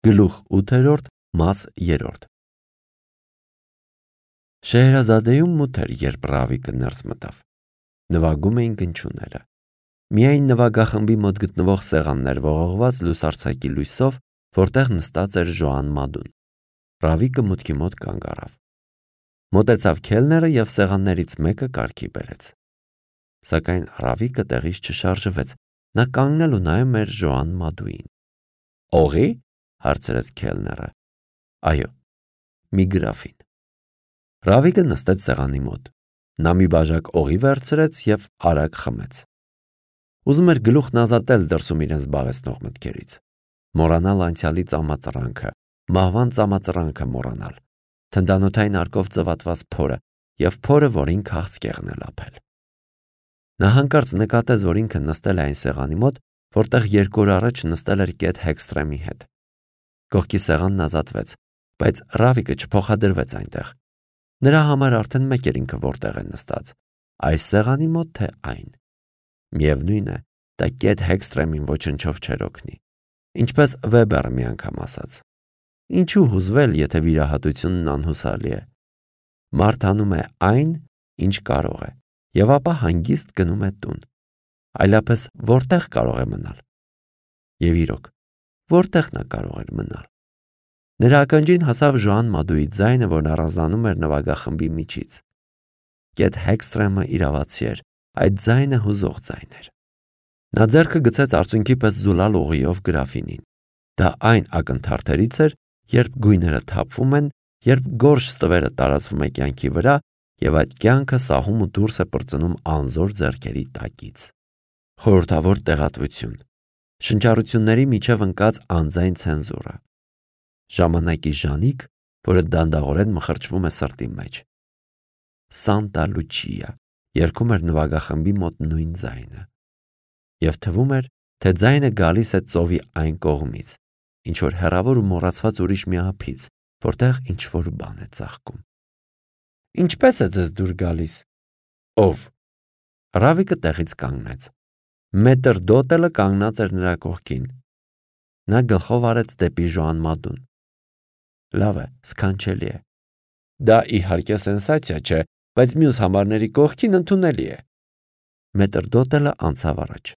Գլուխ 8-րդ, մաս 3։ Շեհրազադեում մութ էր, երբ Ռավիկը ներս մտավ։ Նվագում էին գնչուները։ Միայն նվագախմբի մոտ գտնվող սեղաններ ողողված լուսարձակի լույսով, որտեղ նստած էր Ժոան Մադուն։ Ռավիկը մուտքի մոտ կանգ առավ։ Մոտեցավ քելները եւ սեղաններից մեկը կարգի բերեց։ Սակայն Ռավիկը տեղից չշարժվեց։ Նա կանգնել ու նայում էր Ժոան Մադուին։ «Օղի?» հարցրեց քելները։ «Այո, մի գրաֆին»։ Ռավիկը նստեց սեղանի մոտ։ Նա մի բաժակ օղի վերցրեց եւ արագ խմեց։ Ուզում էր գլուխն ազատել դրսում իրեն զբաղեցնող մտքերից։ Մոռանալ անցյալի ծամածրանքը, մահվան ծամածրանքը մոռանալ, թնդանոթային արկով ծվատված փորը եւ փորը, որին քաղցկեղն է լափել։ Նա հանկարծ նկատեց, որ ինքը նստել է այն սեղանի մոտ, որտեղ 2 օր առաջ նստել էր Կեթ Հեքստրեմի հետ։ Կողքի սեղանն ազատվեց, բայց Ռավիկը չփոխադրվեց այնտեղ։ Նրա համար արդեն մեկ էր ինքը որտեղ է նստած, այս սեղանի մոտ թե այն։ Միևնույն է, դա Կեթ Հեքստրեմին ոչնչով չէր օգնի։ Ինչպես Վեբերը մի անգամ ասաց. ինչու հուզվել, եթե վիրահատությունն անհուսալի է։ Մարդ անում է այն, ինչ կարող է, եւ ապա հանգիստ գնում է տուն։ Այլապես որտեղ կարող է մնալ։ Եվ իրոք, որտեղ նա կարող էր մնալ։ Նրա ականջին հասավ Ժոան Մադուի ձայնը, որն առանձնանում էր նվագախմբի միջից։ Կեթ Հեքստրեմը իրավացի էր, այդ ձայնը հուզող ձայն էր։ Նա ձեռքը գցեց արցունքի պես զուլալ օղիով գրաֆինին։ Դա այն ակնթարթերից էր, երբ գույները թափվում են, երբ գորշ ստվերը տարածվում է կյանքի վրա, եւ այդ կյանքը սահում ու դուրս է պրծնում անզոր ձեռքերի տակից։ Խորհրդավոր տեղատվություն։ Շնչառությունների միջև ընկած անձայն ցենզուրը։ Ժամանակի ժանիք, որը դանդաղորեն մխրճվում է սրտի մեջ։ Սանտա Լուչիա երգում էր նվագախմբի մոտ նույն ձայնը։ Եվ թվում էր, թե ձայնը գալիս է ծովի այն կողմից, ինչ որ հեռավոր ու մոռացված ուրիշ մի ափից, որտեղ ինչ որ բան է ծաղկում։ Ինչպես է ձեզ դուր գալիս։ Ով։ Ռավիկը տեղից կանգնեց։ Մետր Դոտելը կանգնած էր նրա կողքին։ Նա գլխով արեց դեպի Ժոան Մադուն։ Լավ է, սքանչելի է։ Դա իհարկե սենսացիա չէ, բայց մյուս համարների կողքին ընդունելի է։ Մետր Դոտելը անցավ առաջ։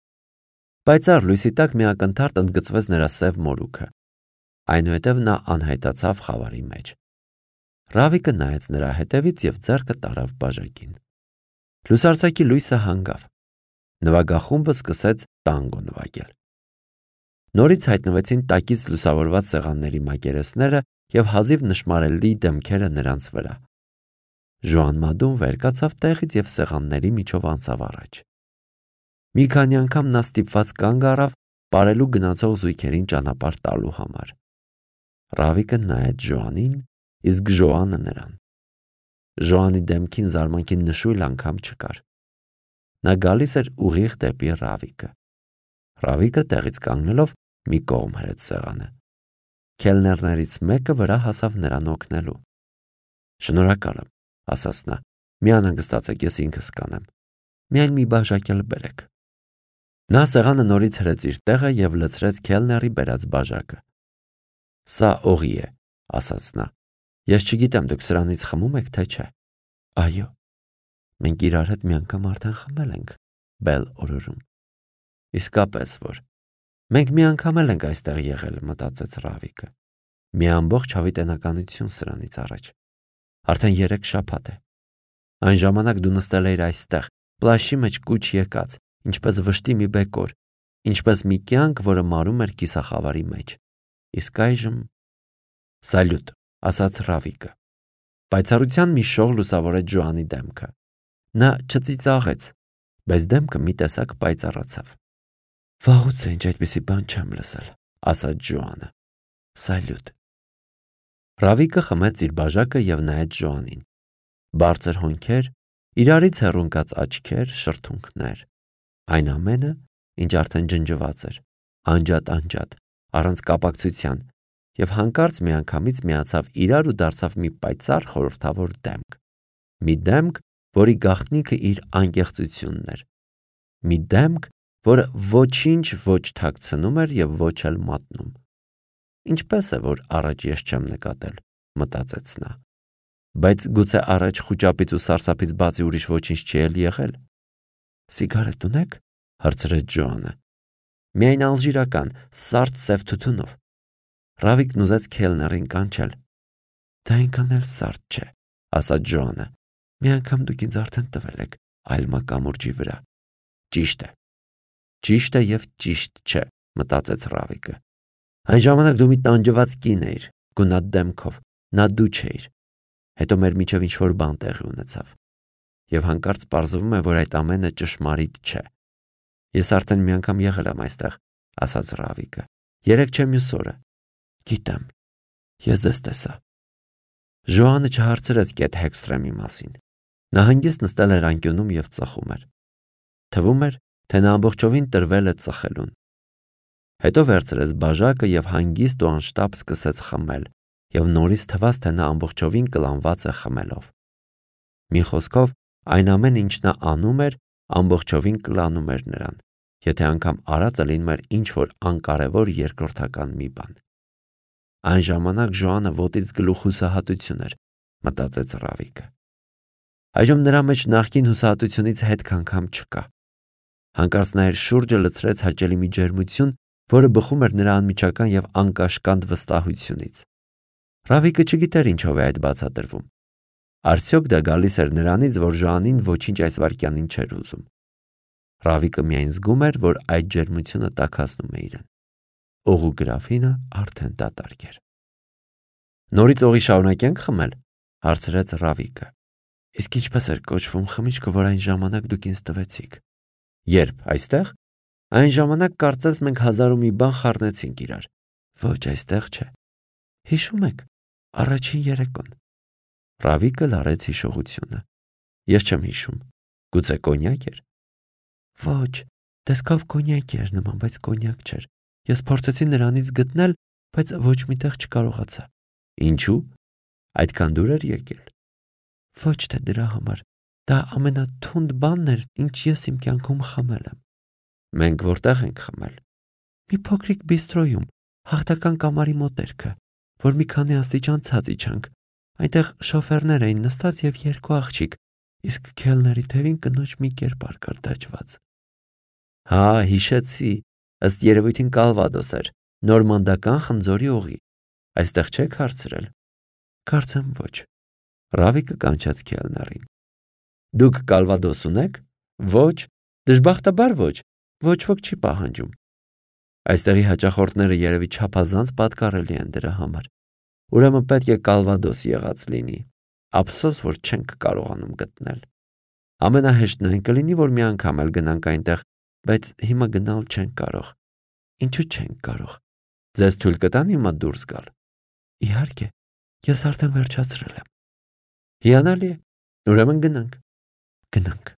Պայծառ լույսի տակ մի ակնթարթ ընդգծվեց նրա սև մորուքը։ Այնուհետև նա անհայտացավ խավարի մեջ։ Ռավիկը նայեց նրա հետևից եւ ձեռքը տարավ բաժակին։ Լուսարձակի լույսը հանգավ։ Նվագախումբը սկսեց տանգո նվագել։ Նորից հայտնվեցին տակից լուսավորված սեղանների մակերեսները եւ հազիվ նշմարելի դեմքերը նրանց վրա։ Ժոան Մադուն վեր կացավ տեղից եւ սեղանների միջով անցավ առաջ։ Մի քանի անգամ նա ստիպված կանգ առավ ապարելու գնացող զույգերին ճանապարհ տալու համար։ Ռավիկը նայեց Ժոանին, իսկ Ժոանը նրան։ Ժոանի դեմքին զարմանքի նշույլ անգամ չկար։ Նա գալիս էր ուղիղ դեպի Ռավիկը։ Ռավիկը տեղից կանգնելով մի կողմ հրեց սեղանը։ Քելներներից մեկը վրա հասավ նրան օգնելու։ Շնորհակալ եմ, ասաց նա։ Մի անհանգստացեք, ես ինքս կանեմ։ Միայն մի բաժակ էլ բերեք։ Նա սեղանը նորից հրեց իր տեղը եւ լցրեց քելների բերած բաժակը։ Սա օղի է, ասաց նա։ Ես չգիտեմ, դուք սրանից խմում եք, թե չէ։ Այո։ Մենք իրար հետ մի անգամ արդեն խմել ենք, Բել օրորում։ Իսկապես որ։ Մենք մի անգամ էլ ենք այստեղ եղել, մտածեց Ռավիկը։ Մի ամբողջ հավիտենականություն սրանից առաջ։ Արդեն 3 շաբաթ է։ Այն ժամանակ դու նստել էիր այստեղ, պլաշի մեջ կուչ եկած, ինչպես վշտի մի բեկոր, ինչպես մի կյանք, որը մարում էր կիսախավարի մեջ։ Իսկ այժմ… Սալյուտ, ասաց Ռավիկը։ Պայծառության մի շող լուսավորեց Ժոանի դեմքը։ Նա չծիծաղեց, բայց դեմքը մի տեսակ պայծառացավ։ Վաղուց է ինչ այդպիսի բան չեմ լսել, ասաց Ժոանը։ Սալյուտ։ Ռավիկը խմեց իր բաժակը եւ նայեց Ժոանին։ Բարձր հոնքեր, իրարից հեռունկած աչքեր, շրթունքներ։ Այն ամենը, ինչ արդեն ջնջված էր, անջատ, առանց կապակցության, եւ հանկարծ միանգամից միացավ իրար ու դարձավ մի պայծառ խորհրդավոր դեմք։ Մի դեմք, որի գաղտնիքը իր անկեղծությունն էր։ Մի դեմք, որը ոչինչ ոչ թաքցնում էր եւ ոչ էլ մատնում։ Ինչպես է, որ առաջ ես չեմ նկատել, մտածեց նա։ Բայց գուցե առաջ խուճապից ու սարսափից բացի ուրիշ ոչինչ չի էլ եղել։ Սիգարետ ունեք, հարցրեց Ջոանը։ Միայն ալժիրական, սարդ սև թութունով։ Ռավիկն ուզեց քելներին կանչել։ Դա այնքան էլ սարդ չէ, ասաց Ջոանը։ Մի անգամ դուք ինձ արդեն տվել եք այլմա կամուրջի վրա։ Ճիշտ է։ Ճիշտ է եւ ճիշտ չէ, մտածեց Ռավիկը։ Այն ժամանակ դու մի տանջված կին էիր, գունատ դեմքով, նա դու չէիր։ Հետո մեր միջև ինչ-որ բան տեղի ունեցավ։ Եվ հանկարծ պարզվում է, որ այդ ամենը ճշմարիտ չէ։ Ես արդեն մի անգամ եղել եմ այստեղ, ասաց Ռավիկը։ Երեկ չէ մյուս օրը։ Գիտեմ։ Ես ձեզ տեսա։ Ժոանը չհարցրեց Կեթ Հեքսթրեմի մասին։ Նա հանգիստ նստել էր անկյունում եւ ծխում էր։ Թվում էր, թե նա ամբողջովին տրվել է ծխելուն։ Հետո վերցրեց բաժակը եւ հանգիստ ու անշտապ սկսեց խմել, եւ նորից թվաց, թե նա ամբողջովին կլանված է խմելով։ Մի խոսքով, այն ամեն ինչ նա անում էր, ամբողջովին կլանում էր նրան, եթե անգամ արածը լինում էր ինչ-որ անկարևոր երկրորդական մի բան։ Այն ժամանակ Ժոանը ոտից գլուխ հուսահատություն էր, մտածեց Ռավիկը։ Այժմ նրա մեջ նախկին հուսահատությունից հետք անգամ չկա։ Հանկարծ նա իր շուրջը լցրեց հաճելի մի ջերմություն, որը բխում էր նրա անմիջական եւ անկաշկանդ վստահությունից։ Ռավիկը չգիտեր ինչով է այդ բացատրվում։ Արդյոք դա գալիս էր նրանից, որ Ժոանին ոչինչ այս վայրկյանին չէր ուզում։ Ռավիկը միայն զգում էր, որ այդ ջերմությունը տաքացնում է իրեն։ Օղու գրաֆինը արդեն դատարկ էր։ Նորից օղի շարունակենք խմել, հարցրեց Ռավիկը։ Իսկ ինչպես էր կոչվում խմիչքը, որ այն ժամանակ դուք ինձ տվեցիք։ Երբ այստեղ։ Այն ժամանակ կարծես մենք հազար ու մի բան խառնեցինք իրար։ Ոչ, այստեղ չէ։ Հիշում եք, առաջին երեկոն։ Ռավիկը լարեց հիշողությունը։ Ես չեմ հիշում։ Գուցե կոնյակ էր։ Ոչ, տեսքով կոնյակ էր նման, բայց կոնյակ չէր։ Ես փորձեցի նրանից գտնել, բայց ոչ միտեղ չկարողացա։ Ինչու՞։ Այդքան դուր էր եկել։ Ոչ թե դրա համար։ Դա ամենաթունդ բանն էր, ինչ ես իմ կյանքում խմել եմ։ Մենք որտեղ ենք խմել։ Մի փոքրիկ բիստրոյում, հաղթական կամարի մոտերքը, որ մի քանի աստիճան ցած իջանք։ Այնտեղ շոֆերներ էին նստած եւ երկու աղջիկ, իսկ քելների թևին կնոջ մի կերպար կար դաջված։ Հա, հիշեցի, ըստ երևույթին Կալվադոս էր, նորմանդական խնձորի օղի։ Այստեղ չեք հարցրել։ Կարծեմ ոչ։ Ռավիկը կանչեց քելներին։ Դուք Կալվադոս ունեք։ Ոչ, դժբախտաբար ոչ։ Ոչ ոք չի պահանջում։ Այստեղի հաճախորդները երևի չափազանց պատկառելի են դրա համար։ Ուրեմն պետք է Կալվադոս եղած լինի։ Ափսոս, որ չենք կարողանում գտնել։ Ամենահեշտն այն կլինի, որ մի անգամ էլ գնանք այնտեղ, բայց հիմա գնալ չենք կարող։ Ինչու չենք կարող։ Ձեզ թույլ կտան հիմա դուրս գալ։ Իհարկե, ես արդեն վերջացրել եմ։ Հիանալի է։ Ուրեմն գնանք։ Գնանք։